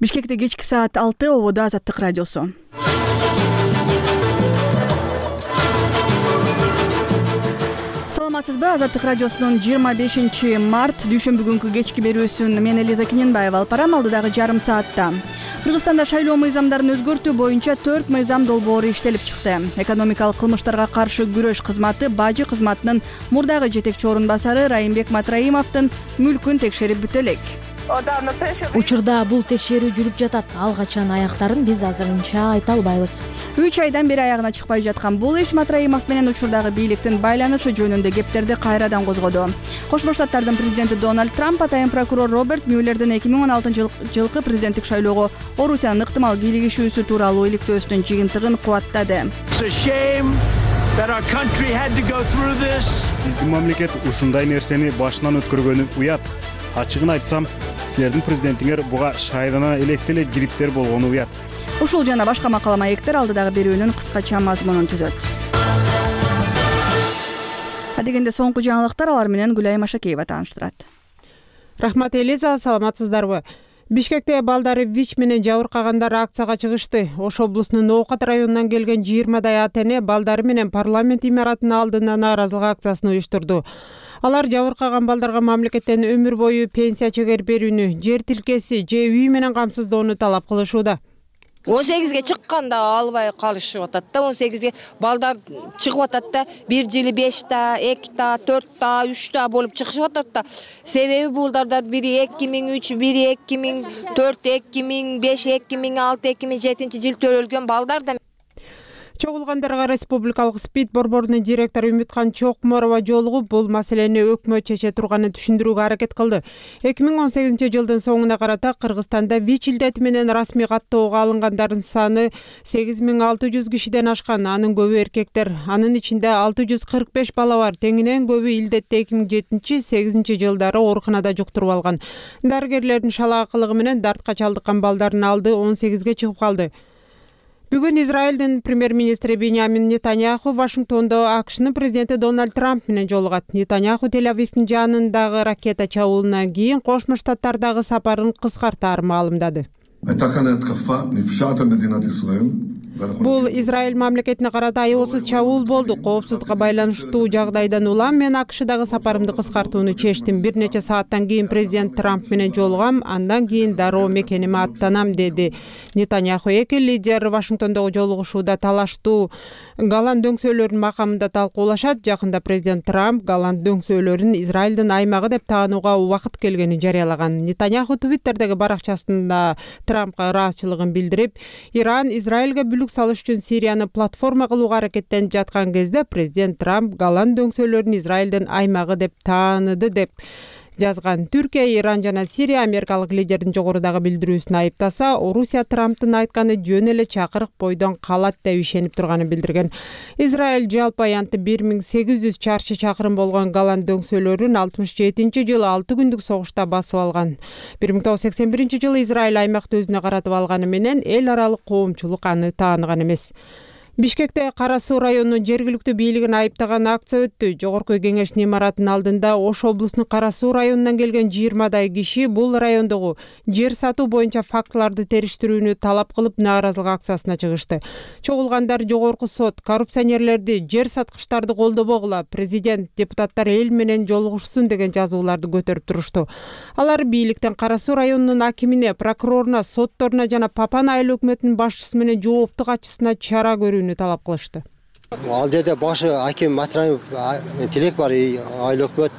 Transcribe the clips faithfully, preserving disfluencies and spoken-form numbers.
Бишкекте кечки саат алты, ободо Азаттык радиосу. Саламатсызбы? Азаттык радиосунун жыйырма бешинчи март дүйшөмбү күнкү кечки берүүсүн мен Элиза Кененбаева алып барам. Алдыдагы жарым саатта Кыргызстанда шайлоо мыйзамдарын өзгөртүү боюнча төрт мыйзам долбоору иштелип чыкты. Экономикалык кылмыштарга каршы күрөш кызматы бажы кызматынын мурдагы жетекчи орун басары Райымбек Матраимовдун мүлкүн текшерип бүтө элек. Учурда бул текшерүү жүрүп жатат. Ал качан аяктарын биз азырынча айта албайбыз. үч айдан бери аягына чыкпай жаткан бул иш Матраимов менен учурдагы бийликтин байланышы жөнүндө кептерди кайрадан козгоду. Кошмо Штаттардын президенти Дональд Трамп атайын прокурор Роберт Мюллердин эки миң он алтынчы жылкы президенттик шайлоого Орусиянын ыктымал кийлигишүүсү тууралуу иликтөөсүнүн жыйынтыгын кубаттады. Биздин мамлекет ушундай нерсени башынан өткөргөнү уят. Ачыгын айтсам, силердин президентиңер буга шайлана электе эле кириптер болгону уят. Ушул жана башка макала маектер алдыдагы берүүнүн кыскача мазмунун түзөт. Адегенде соңку жаңылыктар, алар менен Гүлайым Ашакеева тааныштырат. Рахмат Элиза, саламатсыздарбы? Бишкекте балдары ВИЧ менен жабыркагандар акцияга чыгышты. Ош облусунун Ноокат районунан келген жыйырмадай ата-эне балдары менен парламент имаратынын алдына нааразылык акциясын уюштурду. Алар жабыркаган балдарга мамлекеттен өмүр бою пенсия чегер берүүнү, жер тилкеси же үй менен камсыздоону талап кылышууда. он сегизге чыкканда албай калышып атат да, он сегизге балдар чыгып атат да, бир жылы беш та, эки та, төрт та, үч та болуп чыгышып атат да. Себеби булдардар бири эки миң үч, бири эки миң төрт, эки миң беш, эки миң алты, эки миң жетинчи жыл төрөлгөн балдар да. Чогулгандарга республикалык СПИД борборунун директору Үмүткан Чокморова жолугуп, бул маселени өкмөт чече турганын түшүндүрүүгө аракет кылды. эки миң он сегизинчи жылдын соңуна карата Кыргызстанда ВИЧ илдети менен расмий каттоого алынгандардын саны сегиз миң алты жүз кишиден ашкан. Анын көбү эркектер. Анын ичинде алты жүз кырк беш бала бар. Теңинен көбү илдетти эки миң жетинчи сегизинчи жылдары ооруканада жуктуруп алган. Дарыгерлердин шалаакылыгы менен дартка чалдыккан балдардын алды он сегизге чыгып калды. Бүгүн Израилдин премьер-министри Биньямин Нетаньяху Вашингтондо АКШнын президенти Дональд Трамп менен жолугат. Нетаньяху Тель-Авивдин жанындагы ракета чабуулунан кийин Кошмо Штаттардагы сапарын кыскартаарын маалымдады. Бул Израиль мамлекетине карата аеосуз чабуул болду. Коопсуздукка байланыштуу жагдайдан улам мен АКШдагы сапарымды кыскартууну чечтим. Бир нече сааттан кийин президент Трамп менен жолугам, андан кийин дароо мекениме аттанам, деди Нетаньяху. Эки лидер Вашингтондогу жолугушууда талаштуу Голланд дөңсөөлөрүнүн макамында талкуулашат. Жакында президент Трамп Голланд дөңсөөлөрүн Израилдин аймагы деп таанууга убакыт келгенин жарыялаган. Нетаньяху Твиттердеги баракчасында Трампка ыраазычылыгын билдирип, Иран Израилге бүлүк салыш үчүн Сирияны платформа кылууга аракеттенип жаткан кезде президент Трамп Голланд дөңсөөлөрүн Израилдин аймагы деп тааныды деп жазган. Түркия, Иран жана Сирия америкалык лидердин жогорудагы билдирүүсүн айыптаса, Орусия Трамптын айтканы жөн эле чакырык бойдон калат деп ишенип турганын билдирген. Израиль жалпы аянты бир миң сегиз жүз чарчы чакырым болгон Голланд дөңсөөлөрүн алтымыш жетинчи жылы алты күндүк согушта басып алган. бир миң тогуз жүз сексен биринчи жылы Израиль аймакты өзүнө каратып алганы менен эл аралык коомчулук аны тааныган эмес. Бишкекте Кара Суу районунун жергиликтүү бийлигин айыптаган акция өттү. Жогорку кеңештин имаратынын алдында Ош облусунун Кара Суу районунан келген жыйырмадай киши бул райондогу жер сатуу боюнча фактыларды териштирүүнү талап кылып нааразылык акциясына чыгышты. Чогулгандар жогорку сот коррупционерлерди, жер саткычтарды колдобогула, президент, депутаттар эл менен жолугушсун деген жазууларды көтөрүп турушту. Алар бийликтен Кара Суу районунун акимине, прокуроруна, сотторуна жана Папан айыл өкмөтүнүн башчысы менен жоопту катчысына чара көрүүнү талап кылышты. Ал жерде башы аким Матраимов тилек бар, айыл өкмөт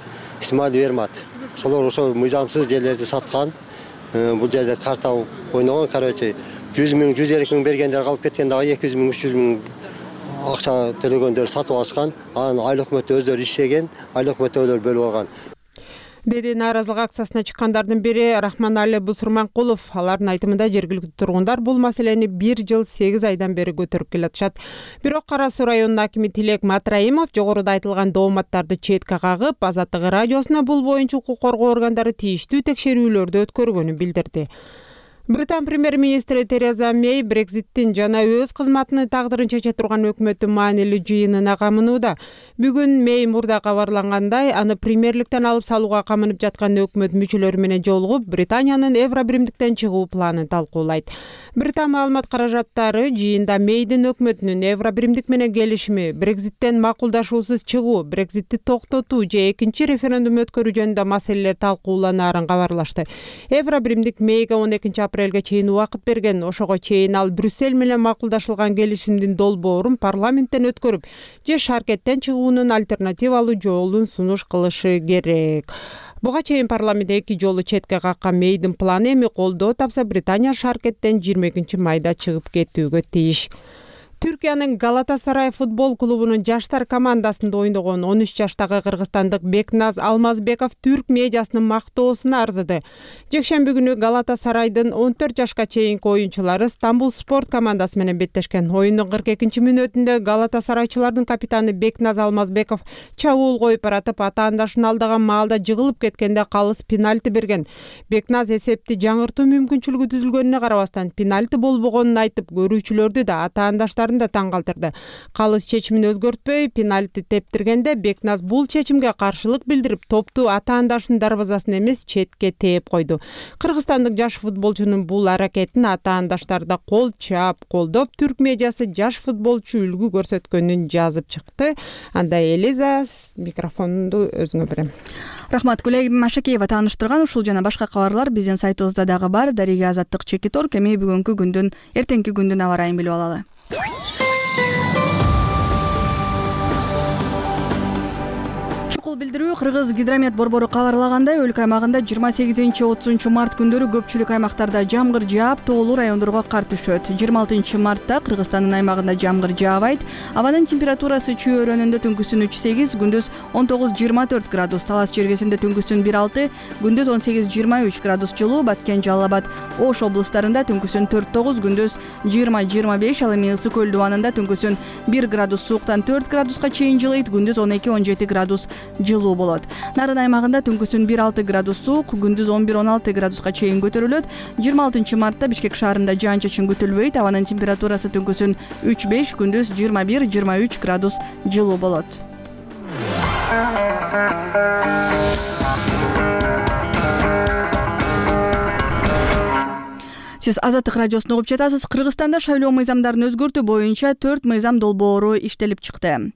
Исмаил Вермат. Шолор ошо мыйзамсыз жерлерди саткан. Бул жерде карта ойногон, короче, жүз миң, жүз элүү миң бергендер калып кеткен, дагы эки жүз миң, үч жүз миң акча төлөгөндөр сатып алышкан. Анан айыл өкмөтү өздөрү иштеген, айыл өкмөттөгүлөр бөлүп алган. деди нааразылык акциясына чыккандардын бири Рахманали Бусурманкулов. Алардын айтымында жергиликтүү тургундар бул маселени бир жыл сегиз айдан бери көтөрүп келатышат. Бирок Кара Суу районунун акими Тилек Матраимов жогоруда айтылган дооматтарды четке кагып, Азаттык радиосуна бул боюнча укук коргоо органдары тийиштүү текшерүүлөрдү өткөргөнүн билдирди. Британ премьер-министри Тереза Мэй Брекситтин жана өз кызматынын тагдырын чече турган өкмөттүн маанилүү жыйынына камынууда. Бүгүн Мэй мурда кабарлангандай, аны премьерликтен алып салууга камынып жаткан өкмөт мүчөлөрү менен жолугуп, Британиянын Евробиримдиктен чыгуу планын талкуулайт. Британ маалымат каражаттары жыйында Мэйдин өкмөтүнүн Евробиримдик менен келишими, Брекситтен макулдашуусуз чыгуу, Брекситти токтотуу же экинчи референдум өткөрүү жөнүндө маселелер талкууланаарын кабарлашты. Евробиримдик Мэйге он экинчи апрелге чейин убакыт берген. Ошого чейин ал Брюссель менен макулдашылган келишимдин долбоорун парламенттен өткөрүп, же шаркеттен чыгуунун альтернативалуу жолун сунуш кылышы керек. Буга чейин парламент эки жолу четке каккан Мэйдин планы эми колдоо тапса, Британия шаркеттен жыйырма экинчи майда чыгып кетүүгө тийиш. Түркиянын Галатасарай футбол клубунун жаштар командасында ойногон он үч жаштагы кыргызстандык Бекназ Алмазбеков түрк медиасынын мактоосуна арзыды. Жекшемби күнү Галатасарайдын он төрт жашка чейинки оюнчулары Стамбул спорт командасы менен беттешкен. Оюндун кырк экинчи мүнөтүндө Галатасарайчылардын капитаны Бекназ Алмазбеков чабуул коюп баратып, атаандашын алдаган маалда жыгылып кеткенде калыс пенальти берген. Бекназ эсепти жаңыртуу мүмкүнчүлүгү түзүлгөнүнө карабастан пенальти болбогонун айтып, көрүүчүлөрдү да атаандаштарын да таң калтырды. Калыс чечимин өзгөртпөй пенальти тептиргенде Бекназ бул чечимге каршылык билдирип, топту атаандашынын дарбазасына эмес, четке тээп койду. Кыргызстандык жаш футболчунун бул аракетин атаандаштар да кол чаап колдоп, түрк медиасы жаш футболчу үлгү көрсөткөнүн жазып чыкты. Андай Элиза, микрофонду өзүңө берем. Рахмат, Гүлай Машакеева тааныштырган ушул жана башка кабарлар биздин сайтыбызда дагы бар. Дарига Азаттык Чекитор кеми бүгүнкү күндүн, эртеңки күндүн аба ырайын билип алалы. Чукул билдирүү Кыргыз гидромет борбору кабарлагандай, өлкө аймагында жыйырма сегизинчи отузунчу март күндөрү көпчүлүк аймактарда жамгыр жаап, тоолуу райондорго кар түшөт. жыйырма алтынчы мартта Кыргызстандын аймагында жамгыр жаабайт. Абанын температурасы чүй өрөөнүндө түнкүсүн үч сегиз, күндүз он тогуз жыйырма төрт градус, Талас жергесинде түнкүсүн бир алты, күндүз он сегиз жыйырма үч градус жылуу, Баткен, Жалал Абад, Ош облустарында түнкүсүн төрт тогуз, күндүз жыйырма жыйырма беш, ал эми Ысык көл дубанында түнкүсүн бир градус сууктан төрт градуска чейин жылыйт, күндүз он эки он жети градус жылуу болот. Нарын аймагында түнкүсүн бир алты градус суук, күндүз он бир он алты градуска чейин көтөрүлөт. жыйырма алтынчы мартта Бишкек шаарында жаан-чачын күтүлбөйт. Абанын температурасы түнкүсүн үч беш, күндүз жыйырма бир жыйырма үч градус жылуу болот. Сиз Азаттык радиосун угуп жатасыз. Кыргызстанда шайлоо мыйзамдарын өзгөртүү боюнча төрт мыйзам долбоору иштелип чыкты.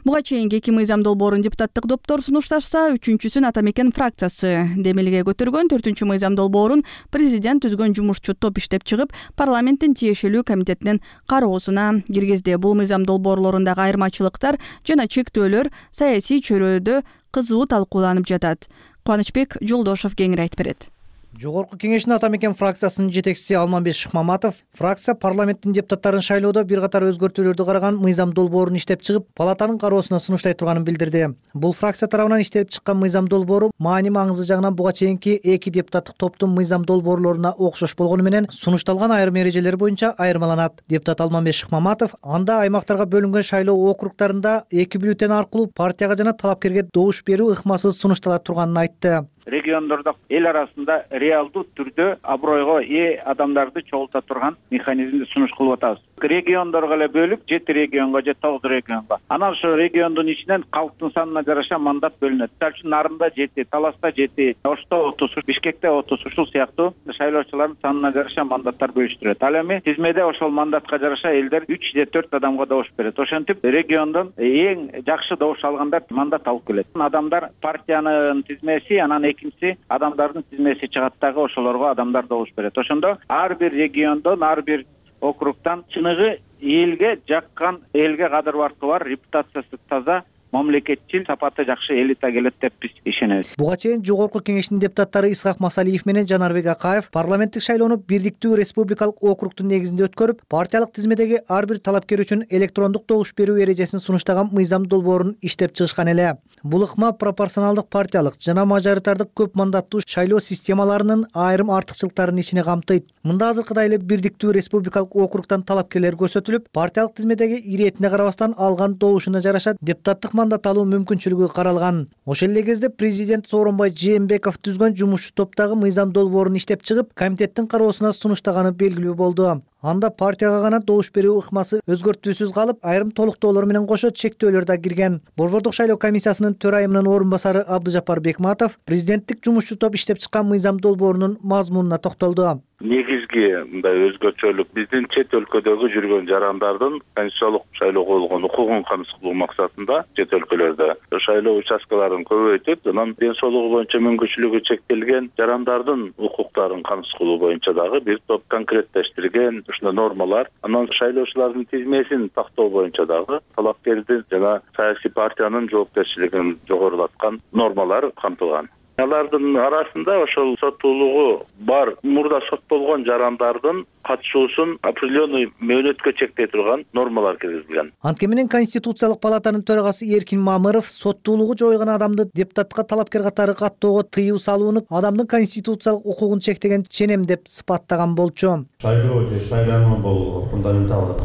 Буга чейинки эки мыйзам долбоорун депутаттык топтор сунушташса, үчүнчүсүн Ата Мекен фракциясы демилге көтөргөн. Төртүнчү мыйзам долбоорун президент түзгөн жумушчу топ иштеп чыгып, парламенттин тиешелүү комитетинин кароосуна киргизди. Бул мыйзам долбоорлорундагы айырмачылыктар жана чектөөлөр саясий чөйрөдө кызуу талкууланып жатат. Кубанычбек Жолдошов кеңири айтып берет. Жогорку кеңештин Ата Мекен фракциясынын жетекчиси Алмамбет Шыкмаматов фракция парламенттин депутаттарын шайлоодо бир катар өзгөртүүлөрдү караган мыйзам долбоорун иштеп чыгып, палатанын кароосуна сунуштай турганын билдирди. Бул фракция тарабынан иштелип чыккан мыйзам долбоору маани маңызы жагынан буга чейинки эки депутаттык топтун мыйзам долбоорлоруна окшош болгону менен сунушталган айрым эрежелер боюнча айырмаланат. Депутат Алмамбет Шыкмаматов анда аймактарга бөлүнгөн шайлоо округдарында эки бюллетень аркылуу партияга жана талапкерге добуш берүү ыкмасыз сунуштала турганын айтты. Региондордо эл арасында реалдуу түрдө абройго ээ адамдарды чогулта турган механизмди сунуш кылып атабыз. Региондорго эле бөлүп, жети регионго же тогуз регионго. Анан ошо региондун ичинен калктын санына жараша мандат бөлүнөт. Мисалы үчүн Нарында жети, Таласта жети, Ошто отуз, Бишкекте отуз, ушул сыяктуу шайлоочулардын санына жараша мандаттар бөлүштүрөт. Ал эми тизмеде ошол мандатка жараша элдер үч же төрт адамга добуш берет. Ошентип региондон эң жакшы добуш алгандар мандат алып келет. Адамдар партиянын тизмеси, анан экинчиси адамдардын тизмеси чыгат дагы, ошолорго адамдар добуш берет. Ошондо ар бир региондон, ар бир округтан чыныгы элге жаккан, элге кадыр баркы бар, репутациясы таза, мамлекетчил, сапаты жакшы элита келет деп биз ишенебиз. Буга чейин жогорку кеңештин депутаттары Исхак Масалиев менен Жанарбек Акаев парламенттик шайлоону бирдиктүү республикалык округдун негизинде өткөрүп, партиялык тизмедеги ар бир талапкер үчүн электрондук добуш берүү эрежесин сунуштаган мыйзам долбоорун иштеп чыгышкан эле. Бул ыкма пропорционалдык партиялык жана мажоритардык көп мандаттуу шайлоо системаларынын айрым артыкчылыктарын ичине камтыйт. Мында азыркыдай эле бирдиктүү республикалык округдан талапкерлер көрсөтүлүп, партиялык тизмедеги иретине карабастан алган добушуна жараша депутаттык мандат алуу мүмкүнчүлүгү каралган. Ошол эле кезде президент Сооронбай Жээнбеков түзгөн жумушчу топтогу мыйзам долбоорун иштеп чыгып, комитеттин кароосуна сунуштаганы белгилүү болду. Анда партияга гана добуш берүү ыкмасы өзгөртүүсүз калып, айрым толуктоолор менен кошо чектөөлөр да кирген. Борбордук шайлоо комиссиясынын төрайымынын орун басары Абдыжапар Бекматов президенттик жумушчу топ иштеп чыккан мыйзам долбоорунун мазмунуна токтолду. Негизги мындай өзгөчөлүк биздин чет өлкөдөгү жүргөн жарандардын конституциялык шайлоого болгон укугун камсыз кылуу максатында чет өлкөлөрдө шайлоо участкаларын көбөйтүп, анан ден соолугу боюнча мүмкүнчүлүгү чектелген жарандардын укуктарын камсыз кылуу боюнча дагы бир топ конкреттештирген ушундай нормалар, анан шайлоочулардын тизмесин тактоо боюнча дагы талапкердин жана саясий партиянын жоопкерчилигин жогорулаткан нормалар камтылган. Алардын арасында ошол соттуулугу бар, мурда соттолгон жарандардын катышуусун определенный мөөнөткө чектей турган нормалар киргизилген. Анткени менен Конституциялык палатанын төрагасы Эркин Мамыров соттуулугу жойгон адамды депутатка талапкер катары каттоого тыюу салууну адамдын конституциялык укугун чектеген ченем деп сыпаттаган болчу. Шайлоо же шайлануу бул фундаменталдык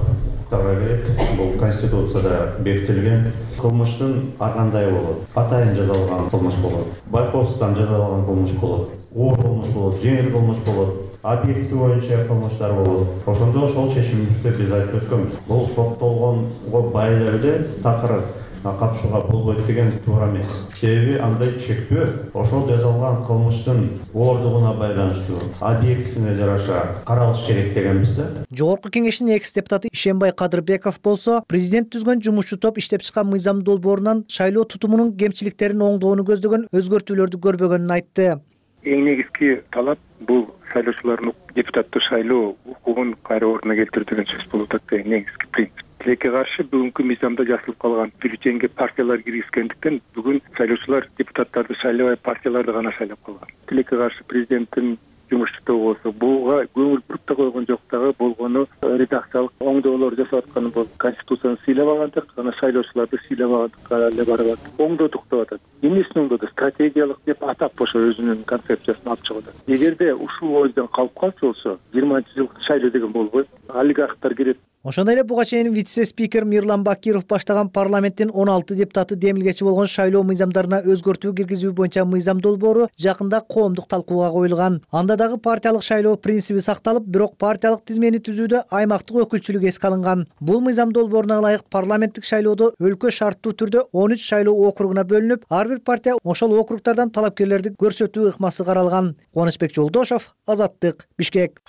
керек. Бул Конституцияда бекитилген. Кылмыштын ар кандай болот? Атайын жазалган кылмыш болот. Байкоостан жазалган кылмыш болот. Оор кылмыш болот, жеңил кылмыш болот. Объектиси боюнча кылмыштар болот. Ошондо ошол чечимибизде биз айтып өткөнбүз. Бул соттолгонго бай эле такыр катышууга болбойт деген туура эмес. Себеби андай чектөө ошол жазалган кылмыштын оордугуна байланыштуу, объектисине жараша каралыш керек дегенбиз да. Жогорку кеңештин экс депутаты Ишенбай Кадырбеков болсо, президент түзгөн жумушчу топ иштеп чыккан мыйзам долбоорунан шайлоо тутумунун кемчиликтерин оңдоону көздөгөн өзгөртүүлөрдү көрбөгөнүн айтты. Эң негизги талап бул шайлоочулардын депутаттык шайлоо укугун кайра ордуна келтирүү деген сөз болуп атат. Негизги принцип. Тилекке каршы бүгүнкү мыйзамда жазылып калган бюллетенге партиялар киргизгендиктен бүгүн шайлоочулар депутаттарды шайлабай партияларды гана шайлап калган. Тилекке каршы президенттин жумушчу тобу болсо буга көңүл буруп да койгон жок, дагы болгону редакциялык оңдоолор жасап атканы бол Конституцияны сыйлабагандык, анан шайлоочуларды сыйлабагандыкка эле барып атат. Оңдодук деп атат. Эмнесин оңдоду? Стратегиялык деп атап ошо өзүнүн концепциясын алып чыгып атат. Эгерде ушул ойдон калып калса болсо, жыйырманчы жылкы шайлоо деген болбойт. Олигархтар кирет. Ошондой эле буга чейин вице-спикер Мирлан Бакиров баштаган парламенттин он алты депутаты демилгечи болгон шайлоо мыйзамдарына өзгөртүү киргизүү боюнча мыйзам долбоору жакында коомдук талкууга коюлган. Анда дагы партиялык шайлоо принциби сакталып, бирок партиялык тизмени түзүүдө аймактык өкүлчүлүк эске алынган. Бул мыйзам долбооруна ылайык парламенттик шайлоодо өлкө шарттуу түрдө он үч шайлоо округуна бөлүнүп, ар бир партия ошол округтардан талапкерлерди көрсөтүү ыкмасы каралган. Кубанычбек Жолдошов, Азаттык, Бишкек.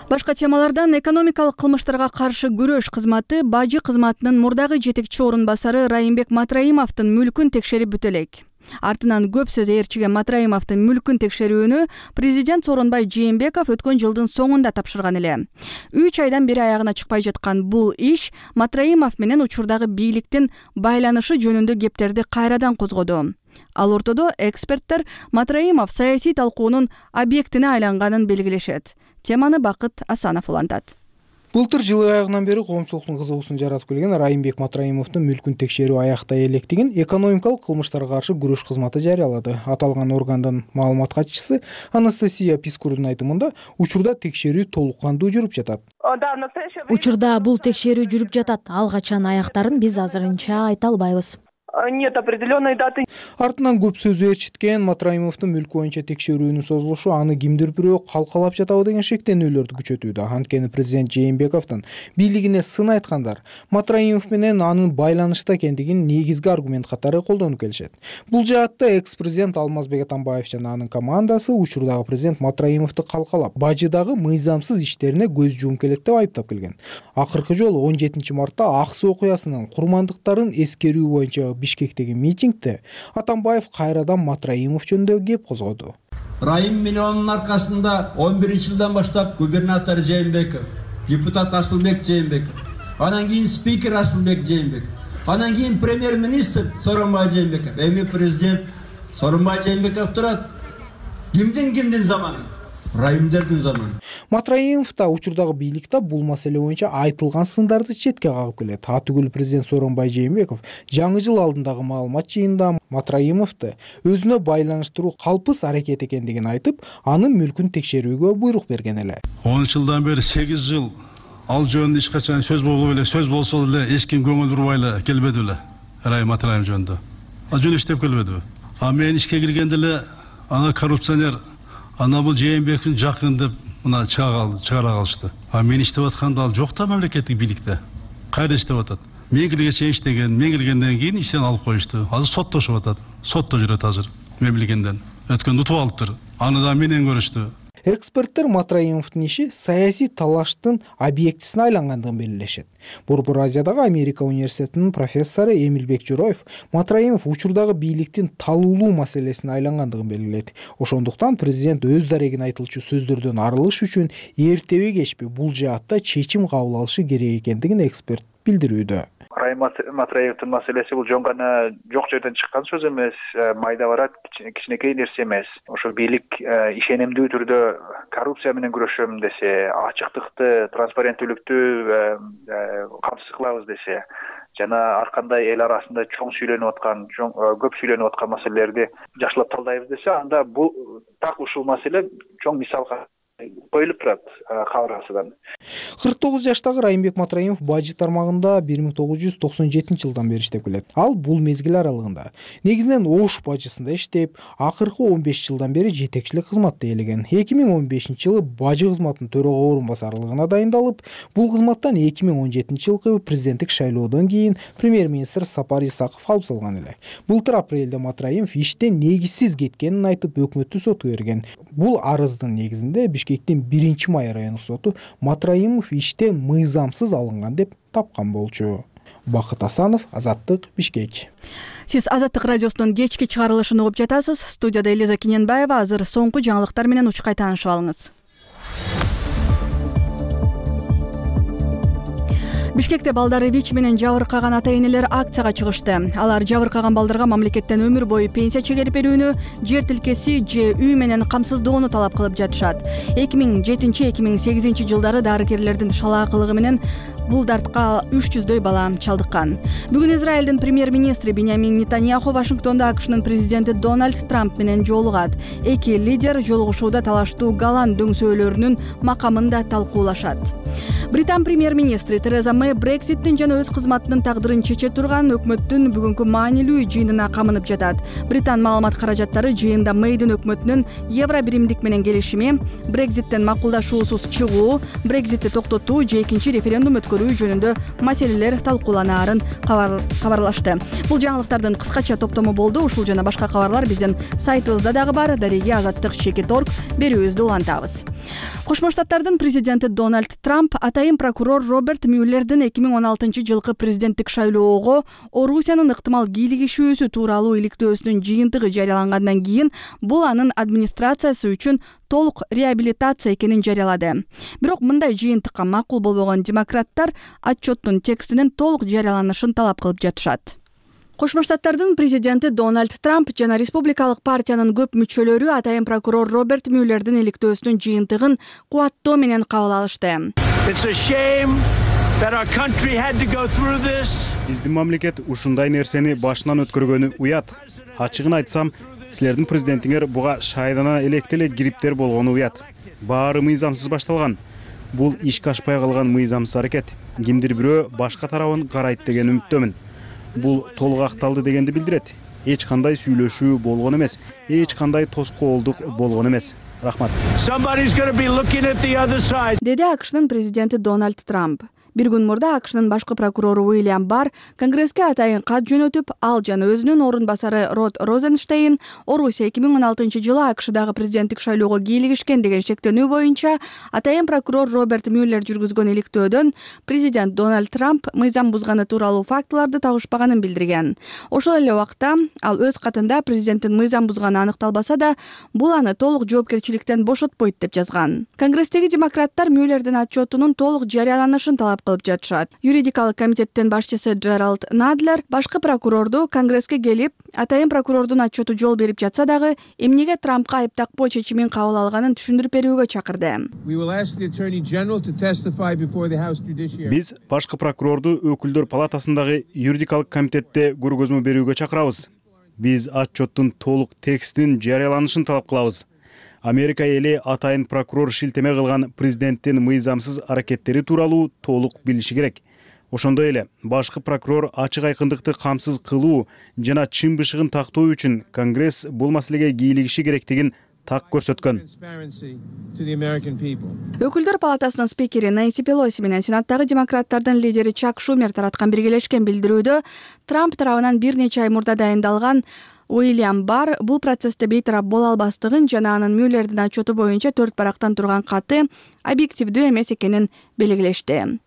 Башка темалардан экономикалык кылмыштарга каршы күрөш кызматы бажы кызматынын мурдагы жетекчи орун басары Райымбек Матраимовдун мүлкүн текшерип бүтө элек. Артынан көп сөз ээрчиген Матраимовдун мүлкүн текшерүүнү президент Сооронбай Жээнбеков өткөн жылдын соңунда тапшырган эле. үч айдан бери аягына чыкпай жаткан бул иш Матраимов менен учурдагы бийликтин байланышы жөнүндө кептерди кайрадан козгоду. Ал ортодо эксперттер Матраимов саясий талкуунун объектине айланганын белгилешет. Теманы Бакыт Асанов улантат. Былтыр жылы аягынан бери коомчулуктун кызыгуусун жаратып келген Райымбек Матраимовдун мүлкүн текшерүү аяктай элек деген экономикалык кылмыштарга каршы күрөш кызматы жарыялады. Аталган органдын маалымат катчысы Анастасия Пискурдун айтымында учурда текшерүү толук кандуу жүрүп жатат. Учурда бул текшерүү жүрүп жатат. Ал качан аяктарын биз азырынча айта албайбыз. Нет определенной даты. Артынан көп сөз ээрчиткен Матраимовдун мүлкү боюнча текшерүүнүн созулушу аны кимдир бирөө калкалап жатабы деген шектенүүлөрдү күчөтүүдө. Анткени президент Жээнбековдун бийлигине сын айткандар Матраимов менен анын байланышта экендигин негизги аргумент катары колдонуп келишет. Бул жаатта экс-президент Алмазбек Атамбаев жана анын командасы учурдагы президент Матраимовду калкалап, бажыдагы мыйзамсыз иштерине көз жумуп келет деп айыптап келген. Акыркы жолу он жетинчи мартта ак суу окуясынын курмандыктарын эскерүү боюнча Бишкектеги митингде Атамбаев кайрадан Матраимов жөнүндө кеп козгоду. Райым миллионунун аркасында он биринчи жылдан баштап губернатор Жээнбеков, депутат Асылбек Жээнбеков, анан кийин спикер Асылбек Жээнбеков, анан кийин премьер-министр Сооронбай Жээнбеков, эми президент Сооронбай Жээнбеков турат. Кимдин кимдин заманы? райымдердин заманы. Матраимов да учурдагы бийликте бул маселе боюнча айтылган сындарды четке кагып келет. Атүгүл президент Сооронбай Жээнбеков жаңы жыл алдындагы маалымат жыйынында Матраимовду өзүнө байланыштыруу калпыс аракет экендигин айтып, анын мүлкүн текшерүүгө буйрук берген эле. он үч жылдан бери сегиз жыл ал жөнүндө эч качан сөз болбой эле, сөз болсо деле эч ким көңүл бурбай эле келбеди беле. Райым Матраимов жөнүндө. Ал жөн иштеп келбедиби? А мен ишке киргенде эле ана коррупционер, ана бул Жээнбековдун жакын деп мына чыгара калышты. А мен иштеп атканда ал жок да мамлекеттик бийликте. Кайда иштеп атат? Мен киргенче иштеген, мен киргенден кийин иштен алып коюшту. Азыр соттошуп атат. Сотто жүрөт азыр. Мен билгенден. Өткөндө утуп алыптыр. Аны да менен көрүштү. Эксперттер Матраимовдун иши саясий талаштын объектисине айлангандыгын белгилешет. Борбор Азиядагы Америка университетинин профессору Эмилбек Жороев Матраимов учурдагы бийликтин талуулуу маселесине айлангандыгын белгилейт. Ошондуктан президент өз дарегин айтылчу сөздөрдөн арылыш үчүн эртеби кечпи бул жаатта чечим кабыл алышы керек экендигин эксперт билдирүүдө. Райым Матраимовдун маселеси бул жөн гана жок жерден чыккан сөз эмес, майда барат, кичинекей нерсе эмес. Ошол бийлик ишенимдүү түрдө коррупция менен күрөшөм десе, ачыктыкты, транспаренттүүлүктү камсыз кылабыз десе, жана ар кандай эл арасында чоң сүйлөнүп аткан, көп сүйлөнүп аткан маселелерди жакшылап талдайбыз десе, анда бул так ушул маселе чоң мисалга коюлуп турат кабыргасынан. кырк тогуз жаштагы Райымбек Матраимов бажы тармагында бир миң тогуз жүз токсон жетинчи жылдан бери иштеп келет. Ал бул мезгил аралыгында негизинен Ош бажысында иштеп, акыркы он беш жылдан бери жетекчилик кызматты ээлеген. эки миң он бешинчи жылы бажы кызматынын төрага орун басарлыгына дайындалып, бул кызматтан эки миң он жетинчи жылкы президенттик шайлоодон кийин премьер-министр Сапар Исаков алып салган эле. Былтыр апрелде Матраимов иштен негизсиз кеткенин айтып, өкмөттү сотко берген. Бул арыздын негизинде Бишкектин биринчи май райондук соту Матраимов иштен мыйзамсыз алынган деп тапкан болчу. Бакыт Асанов, Азаттык, Бишкек. Сиз Азаттык радиосунун кечки чыгарылышын угуп жатасыз. Студияда Элиза Кененбаева. Азыр соңку жаңылыктар менен учкай таанышып алыңыз. Бишкекте балдары ВИЧ менен жабыркаган ата-энелер акцияга чыгышты. Алар жабыркаган балдарга мамлекеттен өмүр бою пенсия чегелип берүүнү, жер тилкеси же үй менен камсыздоону талап кылып жатышат. эки миң жетинчи эки миң сегизинчи жылдары дарыкерлердин шалаакылыгы менен бул дартка үч жүздөй бала чалдыккан. Бүгүн Израилдин премьер-министри Биньямин Нетаньяху Вашингтонда АКШнын президенти Дональд Трамп менен жолугат. Эки лидер жолугушууда талаштуу Голланд дөңсөөлөрүнүн макамын да талкуулашат. Британ премьер-министри Тереза Мэй Брекситтин жана өз кызматынын тагдырын чече турган өкмөттүн бүгүнкү маанилүү жыйынына камынып жатат. Британ маалымат каражаттары жыйында Мэйдин өкмөтүнүн Евро биримдик менен келишими, Брекситтен макулдашуусуз чыгуу, Брекситти токтотуу же экинчи референдум өткөрүү жөнүндө маселелер талкууланаарын кабарлашты. Бул жаңылыктардын кыскача топтому болду. Ушул жана башка кабарлар биздин сайтыбызда дагы бар. Дареги азаттык чекит точка орг берүүбүздү улантабыз. Кошмо Штаттардын президенти Дональд Трамп атайын прокурор Роберт Мюллердин эки миң он алтынчы жылкы президенттик шайлоого Орусиянын ыктымал кийлигишүүсү тууралуу иликтөөсүнүн жыйынтыгы жарыялангандан кийин бул анын администрациясы үчүн толук реабилитация экенин жарыялады. Бирок мындай жыйынтыкка макул болбогон демократтар отчеттун текстинин толук жарыяланышын талап кылып жатышат. Кошмо Штаттардын президенти Дональд Трамп жана республикалык партиянын көп мүчөлөрү атайын прокурор Роберт Мюллердин иликтөөсүнүн жыйынтыгын кубаттоо менен кабыл алышты. Биздин мамлекет ушундай нерсени башынан өткөргөнү уят. Ачыгын айтсам, силердин президентиңер буга шайдана электе эле кириптер болгону уят. Баары мыйзамсыз башталган. Бул ишке ашпай калган мыйзамсыз аракет. Кимдир бирөө башка тарабын карайт деген үмүттөмүн. Бул толук акталды дегенди билдирет. Эч кандай сүйлөшүү болгон эмес, эч кандай тоскоолдук болгон эмес. Рахмат. Деди АКШнын президенти Дональд Трамп. Бир күн мурда АКШнын башкы прокурору Уильям Барр Конгресске атайын кат жөнөтүп, ал жана өзүнүн орун басары Род Розенштейн Орусия эки миң он алтынчы жылы АКШдагы президенттик шайлоого кийлигишкен деген шектенүү боюнча атайын прокурор Роберт Мюллер жүргүзгөн иликтөөдөн президент Дональд Трамп мыйзам бузганы тууралуу фактыларды табышпаганын билдирген. Ошол эле убакта ал өз катында президенттин мыйзам бузганы аныкталбаса да, бул аны толук жоопкерчиликтен бошотпойт деп жазган. Конгресстеги демократтар Мюллердин отчетунун толук жарыяланышын талап кылып жатышат. Юридикалык комитеттин башчысы Джеральд Надлер башкы прокурорду Конгресске келип, атайын прокурордун отчету жол берип жатса дагы, эмнеге Трампка айып такпоо чечимин кабыл алганын түшүндүрүп берүүгө чакырды. Биз башкы прокурорду өкүлдөр палатасындагы юридикалык комитетте көргөзмө берүүгө чакырабыз. Биз отчеттун толук текстин жарыяланышын талап кылабыз. Америка эли атайын прокурор шилтеме кылган президенттин мыйзамсыз аракеттери тууралуу толук билиши керек. Ошондой эле башкы прокурор ачык айкындыкты камсыз кылуу жана чын бышыгын тактоо үчүн Конгресс бул маселеге кийлигиши керектигин так көрсөткөн. Өкүлдөр палатасынын спикери Нэнси Пелоси менен Сенаттагы демократтардын лидери Чак Шумер тараткан биргелешкен билдирүүдө Трамп тарабынан бир нече ай мурда дайындалган Уильям Барр бул процессте бейтарап боло албастыгын жана анын Мюллердин отчету боюнча төрт барактан турган каты объективдүү эмес экенин белгилешти.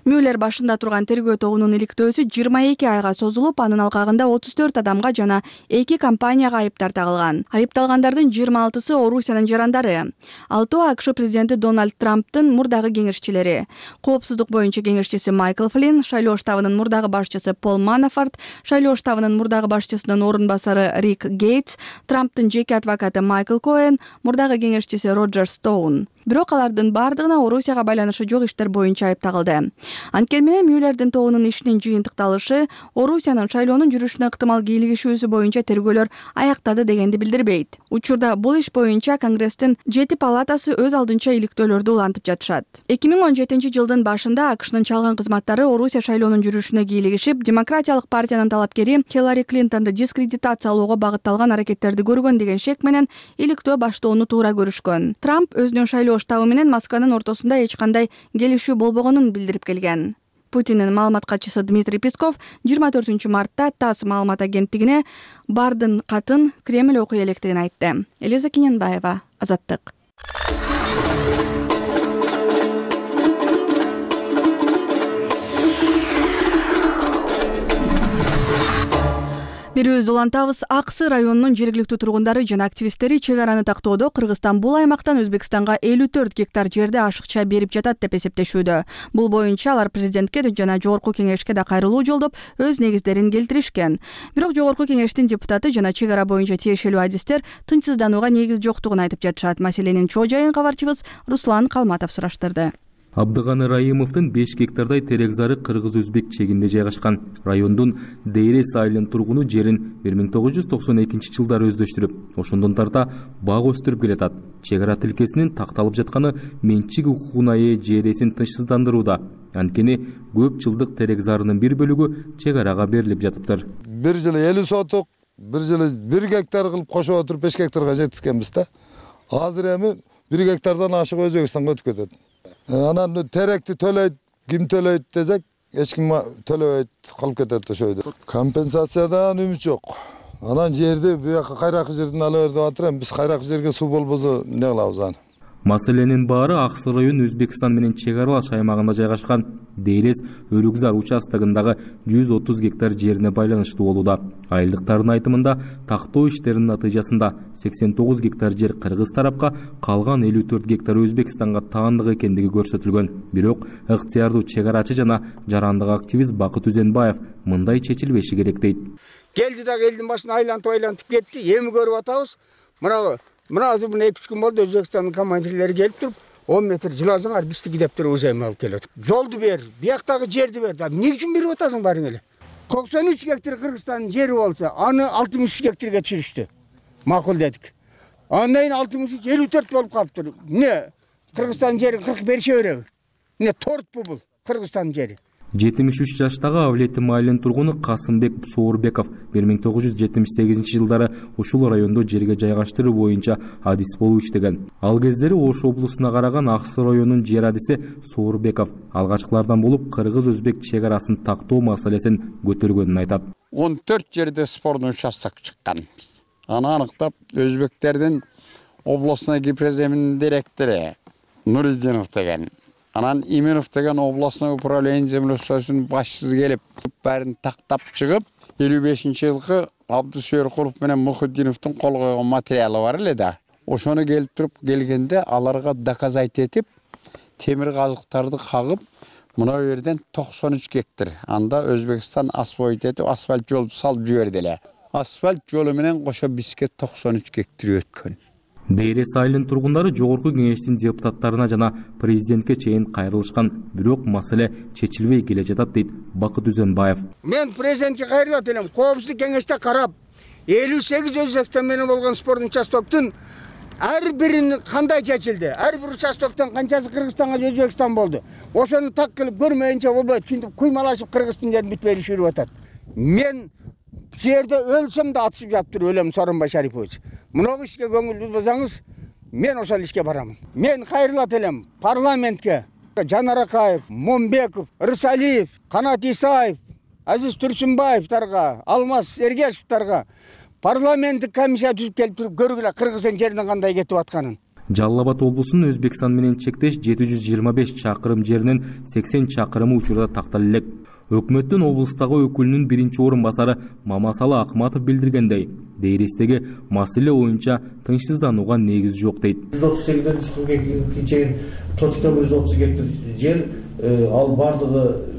Мюллер башында турган тергөө тобунун иликтөөсү жыйырма эки айга созулуп, анын алкагында отуз төрт адамга жана эки компанияга айыптар тагылган. Айыпталгандардын жыйырма алтысы Орусиянын жарандары. Алтоо АКШ президенти Дональд Трамптын мурдагы кеңешчилери. Коопсуздук боюнча кеңешчиси Майкл Флинн, шайлоо штабынын мурдагы башчысы Пол Манафорт, шайлоо штабынын мурдагы башчысынын орун басары Рик Гейтс, Трамптын жеке адвокаты Майкл Коэн, мурдагы кеңешчиси Роджер Стоун. Бирок алардын бардыгына Орусияга байланышы жок иштер боюнча айып тагылды. Анткени менен Мюллердин тобунун ишинин жыйынтыкталышы Орусиянын шайлоонун жүрүшүнө ыктымал кийлигишүүсү боюнча тергөөлөр аяктады дегенди билдирбейт. Учурда бул иш боюнча Конгресстин жети палатасы өз алдынча иликтөөлөрдү улантып жатышат. эки миң он жетинчи жылдын башында АКШнын чалгын кызматтары Орусия шайлоонун жүрүшүнө кийлигишип, Демократиялык партиянын талапкери Хиллари Клинтонду дискредитациялоого багытталган аракеттерди көргөн деген шек менен иликтөө баштоону туура көрүшкөн. Трамп өзүнүн шайлоо штабы менен Москванын ортосунда эч кандай келишүү болбогонун билдирип келген. Путиндин маалымат катчысы Дмитрий Песков жыйырма төртүнчү мартта ТАСС маалымат агенттигине Бардын катын Кремль окуй электигин айтты. Элиза Кененбаева, Азаттык. Берүүбүздү улантабыз. Аксы районунун жергиликтүү тургундары жана активисттери чек араны тактоодо Кыргызстан бул аймактан Өзбекстанга элүү төрт гектар жерди ашыкча берип жатат деп эсептешүүдө. Бул боюнча алар президентке жана жогорку кеңешке да кайрылуу жолдоп өз негиздерин келтиришкен. Бирок жогорку кеңештин депутаты жана чек ара боюнча тиешелүү адистер тынчсызданууга негиз жоктугун айтып жатышат. Маселенин чоо жайын кабарчыбыз Руслан Калматов сураштырды. Абдыганы Райымовдун беш гектардай терек зары кыргыз-өзбек чегинде жайгашкан. Райондун Дейрес айылынын тургуну жерин бир миң тогуз жүз токсон экинчи жылдары өздөштүрүп, ошондон тарта бак өстүрүп келатат. Чек ара тилкесинин такталып жатканы менчик укугуна ээ жер ээсин тынчсыздандырууда. Анткени көп жылдык терек зарынын бир бөлүгү чек арага берилип жатыптыр. Бир жылы элүү сотук, бир жылы бир гектар кылып кошуп отуруп беш гектарга жеткизгенбиз да. Азыр эми бир гектардан ашык Өзбекстанга өтүп кетет. Анан теректи төлөйт, ким төлөйт десек, эч ким төлөбөйт, калып кетет ошойдо. Компенсациядан үмүт жок. Анан жерди буяка кайракы жерден ала бер деп атыр, биз кайракы жерге суу болбосо эмне кылабыз аны? Маселенин баары Аксы район Өзбекстан менен чек аралаш аймагында жайгашкан Дейрес Өрүкзар участогундагы жүз отуз гектар жерине байланыштуу болууда. Айылдыктардын айтымында тактоо иштеринин натыйжасында сексен тогуз гектар жер кыргыз тарапка, калган элүү төрт гектар Өзбекстанга таандык экендиги көрсөтүлгөн. Бирок ыктыярдуу чек арачы жана жарандык активист Бакыт Үзенбаев мындай чечилбеши керек дейт. Келди дагы элдин башына айлантып айлантып кетти. Эми көрүп атабыз. Мына Мына азыр мына эки үч күн болду Өзбекстандын командирлери келип туруп, он метр жыласыңар биздики деп туруп өзөйм алып келет. Жолду бер, бияктагы жерди бер. Эмне үчүн берип атасың барың эле? токсон үч гектар Кыргызстандын жери болсо, аны алтымыш үч гектарга түшүрүштү. Макул дедик. Андан кийин алтымыш үч элүү төрт болуп калыптыр. Эмне Кыргызстандын жерин кырк берише береби? Эмне тортпу бул Кыргызстандын жери? жетимиш үч жаштагы Авлети майылынын тургуну Касымбек Соорбеков бир миң тогуз жүз жетимиш сегизинчи жылдары ушул райондо жерге жайгаштыруу боюнча адис болуп иштеген. Ал кездери Ош облусуна караган Аксы районунун жер адиси Соорбеков алгачкылардан болуп кыргыз-өзбек чек арасын тактоо маселесин көтөргөнүн айтат. он төрт жерде спорный участок чыккан. Аны аныктап өзбектердин областной гипроземинин директору Нуриддинов деген, анан Именов деген областной управление землеустройствосунун башчысы келип, бәрин тактап чыгып, элүү бешинчи жылкы Абдусүйөркулов менен Мухиддиновдун кол койгон материалы бар эле да. Ошону келип туруп келгенде аларга доказать этип, темир казыктарды кагып, Мына жерден токсон үч гектар. Анда Өзбекстан асфальт этип, асфальт жол салып жиберди эле. Асфальт жолу менен кошо бизге токсон үч гектар өткөн. Дейрес айылынын тургундары жогорку кеңештин депутаттарына жана президентке чейин кайрылышкан, бирок маселе чечилбей келе жатат дейт Бакыт Үзөнбаев. Мен президентке кайрылат элем. Коопсуздук кеңеште карап, элүү сегиз Өзбекстан менен болгон спорт участоктун ар бирин кандай чечилди? Ар бир участоктон канчасы Кыргызстанга, Өзбекстан болду? Ошону так кылып көрмөйүнчө болбойт. Чынтып куймалашып Кыргыздын жерин бүтпөй жүрүп атат. Мен бу жерде өлсөм да атышып жатып өлөм, Сооронбай Шарипович. Мынау ишке көңүл бурбасаңыз, мен ошол ишке барамын. Мен кайрылат элем парламентке. Жанар Акаев, Момбеков, Рысалиев, Канат Исаев, Азиз Турсунбаевдарга, Алмаз Сергешевдарга парламенттик комиссия түзүп келип туруп көргүлө Кыргыздын жеринин кандай кетип атканын. Жалал Абад облусунун Өзбекстан менен чектеш жети жүз жыйырма беш чакырым жеринин сексен чакырымы учурда тактала элек. Өкмөттүн облустагы өкүлүнүн биринчи орун басары Мамасалы Акматов билдиргендей, Дейрестеги маселе боюнча тынчсызданууга негиз жок дейт. жүз отуз сегизден жүз кырк экиге чейин точка жүз отуз гектар жер, ал бардыгы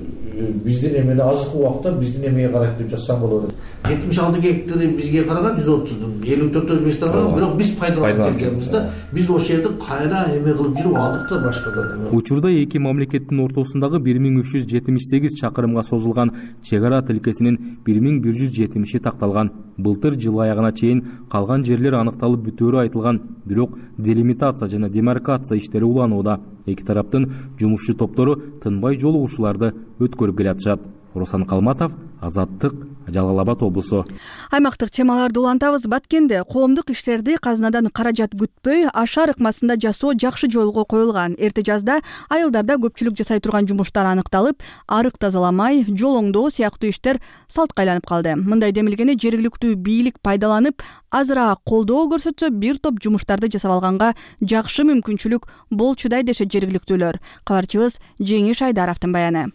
биздин эмеде азыркы убакта биздин эмеге карайт деп жазсам болот. жетимиш алты гектары бизге караган жүз отуздун, элүү төрт Өзбекстанга, бирок биз пайдаланып келгенбиз да. Биз ошол жерди кайра эме кылып жүрүп алдык да башкадан. Учурда эки мамлекеттин ортосундагы бир миң үч жүз жетимиш сегиз чакырымга созулган чек ара тилкесинин бир миң бир жүз жетимиши такталган. Былтыр жыл аягына чейин калган жерлер аныкталып бүтөөрү айтылган, бирок делимитация жана демаркация иштери уланууда. Эки тараптын жумушчу топтору тынбай жолугушууларды өткөрүп келатышат. Руслан Калматов, Азаттык, Жалал Абад облусу. Аймактык темаларды улантабыз. Баткенде коомдук иштерди казынадан каражат күтпөй ашар ыкмасында жасоо жакшы жолго коюлган. Эрте жазда айылдарда көпчүлүк жасай турган жумуштар аныкталып, арык тазаламай, жол оңдоо сыяктуу иштер салтка айланып калды. Мындай демилгени жергиликтүү бийлик пайдаланып, азыраак колдоо көрсөтсө, бир топ жумуштарды жасап алганга жакшы мүмкүнчүлүк болчудай дешет жергиликтүүлөр. Кабарчыбыз Жеңиш Айдаровдун баяны.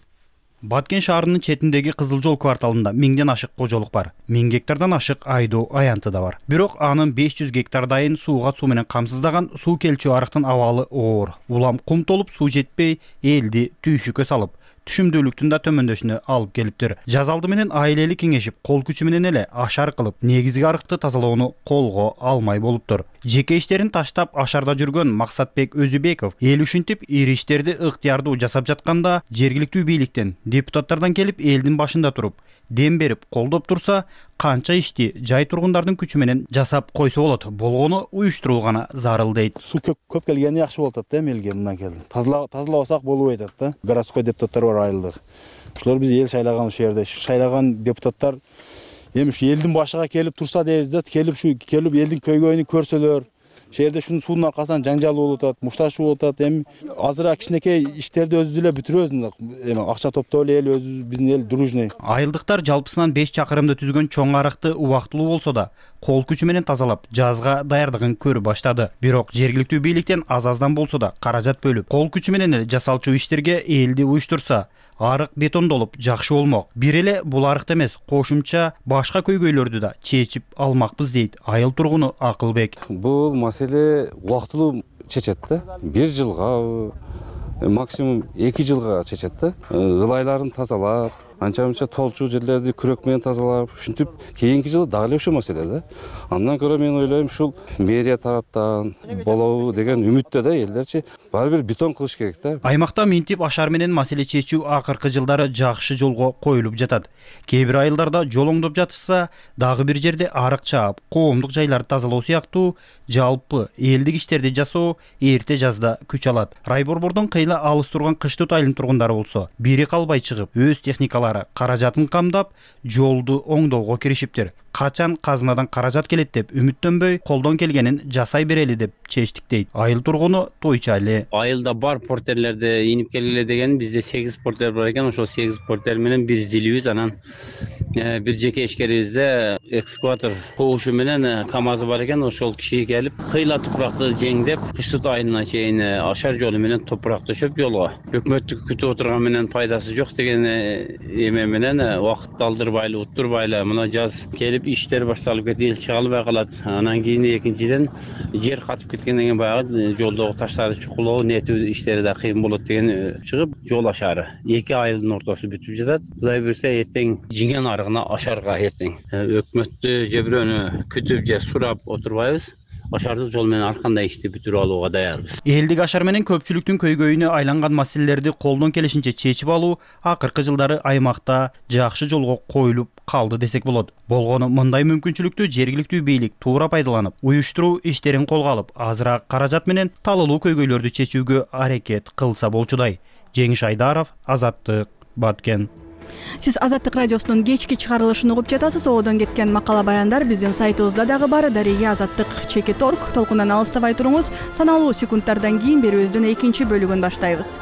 Баткен шаарынын четиндеги Кызыл жол кварталында миңден ашык кожолук бар. миң гектардан ашык айдоо аянты да бар. Бирок анын беш жүз гектардайын сууга суу менен камсыздаган суу келчү арыктын абалы оор. Улам кум толуп суу жетпей, элди түйшүккө салып, түшүмдүүлүктүн да төмөндөшүнө алып келиптир. Жаз алды менен айлели кеңешип, кол күчү менен эле ашар кылып, негизги арыкты тазалоону колго алмай болуптур. Жеке иштерин таштап ашарда жүргөн Максатбек Өзүбеков эл ушинтип ири иштерди ыктыярдуу жасап жатканда, жергиликтүү бийликтен, депутаттардан келип элдин башында туруп, дем берип, колдоп турса, канча ишти жай тургундардын күчү менен жасап койсо болот. Болгону уюштуруу гана зарыл дейт. Суу көп келгени жакшы болуп атат да, элге мындан келди. Тазалабасак болбой атат да. Городской депутаттар бар айылдык. Ошолор биз эл шайлаган ушул жерде. Шайлаган депутаттар эми ушу элдин башыга келип турса дейбиз да, келип ушу келип элдин көйгөйүн көрсөлөр. Ошол жерде ушунун суунун аркасынан жанжал болуп атат, мушташуу болуп атат. Эми азыраак кичинекей иштерди өзүбүз эле бүтүрөбүз. Эми акча топтоп эле эл өзүбүз, биздин эл дружный. Айылдыктар жалпысынан беш чакырымды түзгөн чоң арыкты убактылуу болсо да, кол күчү менен тазалап, жазга даярдыгын көрүп баштады. Бирок жергиликтүү бийликтен аз-аздан болсо да каражат бөлүп, кол күчү менен эле жасалчу иштерге элди уюштурса, арык бетондолуп жакшы болмок. Бир эле бул арыкты эмес, кошумча башка көйгөйлөрдү да чечип алмакпыз дейт айыл тургуну Акылбек. Бул маселе убактылуу чечет да. Бир жылга, максимум эки жылга чечет да. Ылайларын тазалап, анча мынча толчу жерлерди күрөк менен тазалап, ушинтип кийинки жылы дагы эле ушул маселе да. Андан көрө мен ойлойм, ушул мэрия тараптан болобу деген үмүттө да элдерчи баары бир бетон кылыш керек да. Аймакта минтип ашар менен маселе чечүү акыркы жылдары жакшы жолго коюлуп жатат. Кээ бир айылдарда жол оңдоп жатышса, дагы бир жерде арык чаап, коомдук жайларды тазалоо сыяктуу жалпы элдик иштерди жасоо эрте жазда күч алат. Райборбордон кыйла алыс турган Кыштыт айылынын тургундары болсо, бири калбай чыгып, өз техникалары каражатын камдап, жолду оңдоого киришиптир. Качан казынадан каражат келет деп үмүттөнбөй, колдон келгенин жасай берели деп чечтик дейт айыл тургуну Тойчали. Айылда бар портерлерди инип келгиле деген, бизде сегиз портер бар экен. Ошол сегиз портер менен биз жилибиз, анан бир жеке ишкерибизде экскаватор кобушу менен КамАЗы бар экен. Ошол киши келип, кыйла топуракты жеңдеп, Кыштыт айылына чейин ашар жолу менен топурак төшөп жолго. Өкмөттү күтүп отурган менен пайдасы жок деген эме менен убакытты алдырбайлы уттурбайлы мына жаз келип иштер башталып кетип чыга албай калат. Анан кийин экинчиден жер катып кеткенден кийин баягы жолдогу таштарды чукулоо нетүү иштери да кыйын болот деген чыгып жол ашары эки айылдын ортосу бүтүп жатат. Кудай буюрса эртең жиңен арыгына ашарга эртең өкмөттү же бирөөнү күтүп же сурап отурбайбыз. Ашардык жол менен ар кандай ишти бүтүрүп алууга даярбыз. Элдик ашар менен көпчүлүктүн көйгөйүнө айланган маселелерди колдон келишинче чечип алуу акыркы жылдары аймакта жакшы жолго коюлуп калды десек болот. Болгону мындай мүмкүнчүлүктү жергиликтүү бийлик туура пайдаланып, уюштуруу иштерин колго алып, азыраак каражат менен талуулуу көйгөйлөрдү чечүүгө аракет кылса болчудай. Жеңиш Айдаров, Азаттык, Баткен. Сиз Азаттык радиосунун кечки чыгарылышын угуп жатасыз. Оодон кеткен макала баяндар биздин сайтыбызда дагы бар. Дария Азаттык чекит точка орг толкундан алыстабай туруңуз. Саналуу секундтардан кийин берүүбүздүн экинчи бөлүгүн баштайбыз.